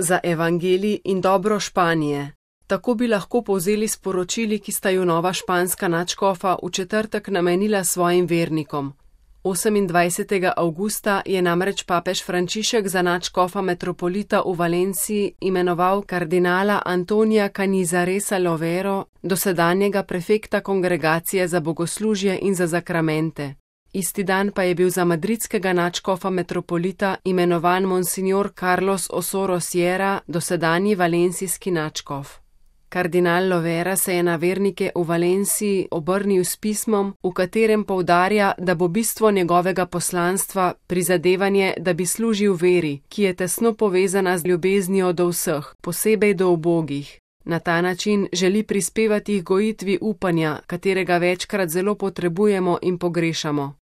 za evangelij in dobro Španije. Tako bi lahko povzeli sporočili, ki sta ju nova španska nadškofa v četrtek namenila svojim vernikom. 28. avgusta je namreč papež Frančišek za nadškofa metropolita v Valenciji imenoval kardinala Antonija Canizaresa Lovero, dosedanjega prefekta kongregacije za bogoslužje in za zakramente. Isti dan pa je bil za madridskega nadškofa metropolita imenovan monsignor Carlos Osoro Sierra, dosedanji valencijski nadškof. Kardinal Lovera se je na vernike v Valenciji obrnil s pismom, v katerem poudarja, da bo bistvo njegovega poslanstva prizadevanje, da bi služil veri, ki je tesno povezana z ljubeznijo do vseh, posebej do ubogih. Na ta način želi prispevati k gojitvi upanja, katerega večkrat zelo potrebujemo in pogrešamo.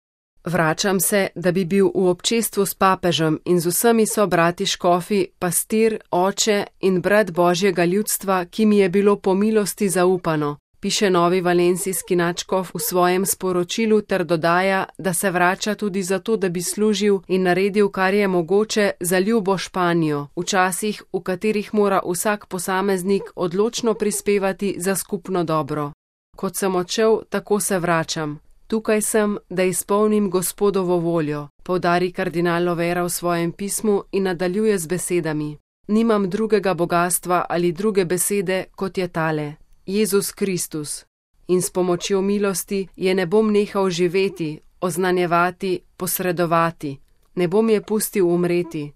Vračam se, da bi bil v občestvu s papežem in z vsemi sobrati škofi, pastir, oče in brat Božjega ljudstva, ki mi je bilo po milosti zaupano, piše novi valencijski nadškof v svojem sporočilu ter dodaja, da se vrača tudi zato, da bi služil in naredil, kar je mogoče za ljubo Španijo, v časih, v katerih mora vsak posameznik odločno prispevati za skupno dobro. Kot sem odšel, tako se vračam. Tukaj sem, da izpolnim Gospodovo voljo, poudari kardinal Lovera v svojem pismu in nadaljuje z besedami. Nimam drugega bogastva ali druge besede, kot je tale, Jezus Kristus. In s pomočjo milosti je ne bom nehal živeti, oznanjevati, posredovati. Ne bom je pustil umreti.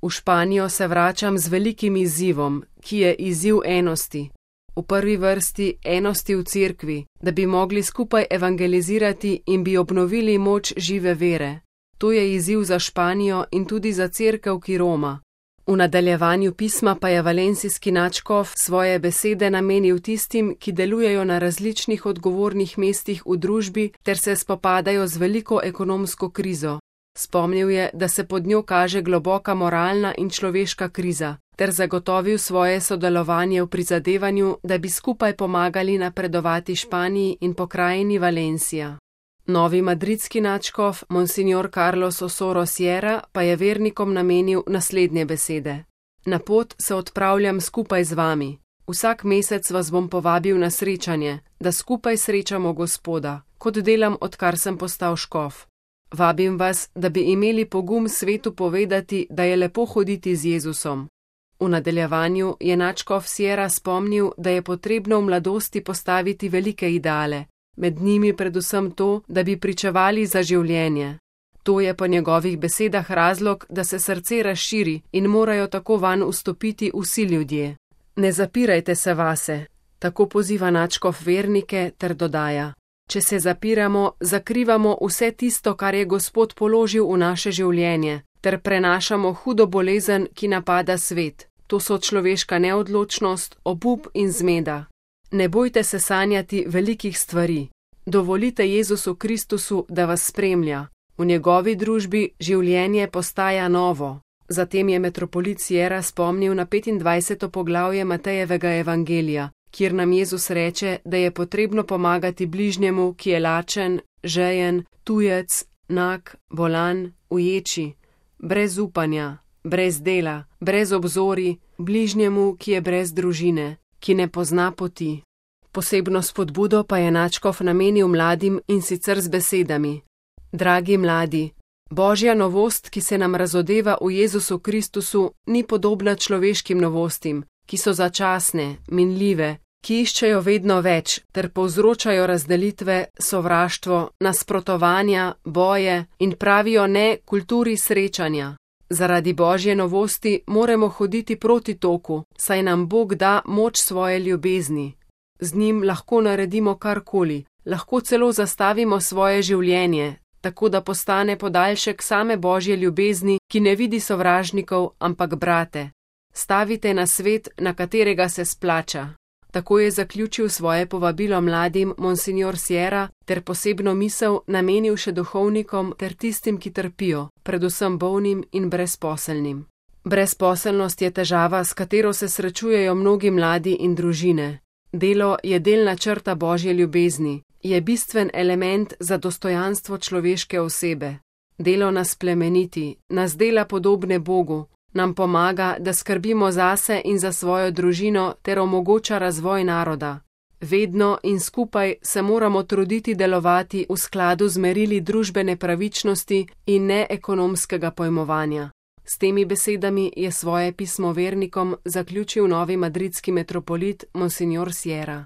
V Španijo se vračam z velikim izzivom, ki je izziv enosti. V prvi vrsti enosti v cerkvi, da bi mogli skupaj evangelizirati in bi obnovili moč žive vere. To je izziv za Španijo in tudi za cerkev, ki roma. V nadaljevanju pisma pa je valencijski nadškof svoje besede namenil tistim, ki delujejo na različnih odgovornih mestih v družbi ter se spopadajo z veliko ekonomsko krizo. Spomnil je, da se pod njo kaže globoka moralna in človeška kriza, ter zagotovil svoje sodelovanje v prizadevanju, da bi skupaj pomagali napredovati Španiji in pokrajini Valencija. Novi madridski nadškof, monsignor Carlos Osoro Sierra, pa je vernikom namenil naslednje besede. Na pot se odpravljam skupaj z vami. Vsak mesec vas bom povabil na srečanje, da skupaj srečamo Gospoda, kot delam, odkar sem postal škof. Vabim vas, da bi imeli pogum svetu povedati, da je lepo hoditi z Jezusom. V nadaljevanju je nadškof Sierra spomnil, da je potrebno v mladosti postaviti velike ideale, med njimi predvsem to, da bi pričevali za življenje. To je po njegovih besedah razlog, da se srce razširi in morajo tako vanj vstopiti vsi ljudje. Ne zapirajte se vase, tako poziva nadškof vernike ter dodaja. Če se zapiramo, zakrivamo vse tisto, kar je Gospod položil v naše življenje, ter prenašamo hudo bolezen, ki napada svet. To so človeška neodločnost, obup in zmeda. Ne bojte se sanjati velikih stvari. Dovolite Jezusu Kristusu, da vas spremlja. V njegovi družbi življenje postaja novo. Zatem je metropolit Sierra spomnil na 25. poglavje Matejevega evangelija, kjer nam Jezus reče, da je potrebno pomagati bližnjemu, ki je lačen, žejen, tujec, nag, bolan, uječi, brez upanja, brez dela, brez obzori, bližnjemu, ki je brez družine, ki ne pozna poti. Posebno spodbudo pa je nadškof namenil mladim in sicer z besedami. Dragi mladi, Božja novost, ki se nam razodeva v Jezusu Kristusu, ni podobna človeškim novostim, ki so začasne, minljive, ki iščejo vedno več ter povzročajo razdelitve, sovraštvo, nasprotovanja, boje in pravijo ne kulturi srečanja. Zaradi Božje novosti moramo hoditi proti toku, saj nam Bog da moč svoje ljubezni. Z njim lahko naredimo karkoli, lahko celo zastavimo svoje življenje, tako da postane podaljšek same Božje ljubezni, ki ne vidi sovražnikov, ampak brate. Stavite na svet, na katerega se splača. Tako je zaključil svoje povabilo mladim monsignor Sierra ter posebno misel namenil še duhovnikom ter tistim, ki trpijo, predvsem bolnim in brezposelnim. Brezposelnost je težava, s katero se srečujejo mnogi mladi in družine. Delo je del načrta Božje ljubezni, je bistven element za dostojanstvo človeške osebe. Delo nas plemeniti, nas dela podobne Bogu, nam pomaga, da skrbimo zase in za svojo družino ter omogoča razvoj naroda. Vedno in skupaj se moramo truditi delovati v skladu z merili družbene pravičnosti in ne ekonomskega pojmovanja. S temi besedami je svoje pismo vernikom zaključil novi madridski metropolit Monsignor Sierra.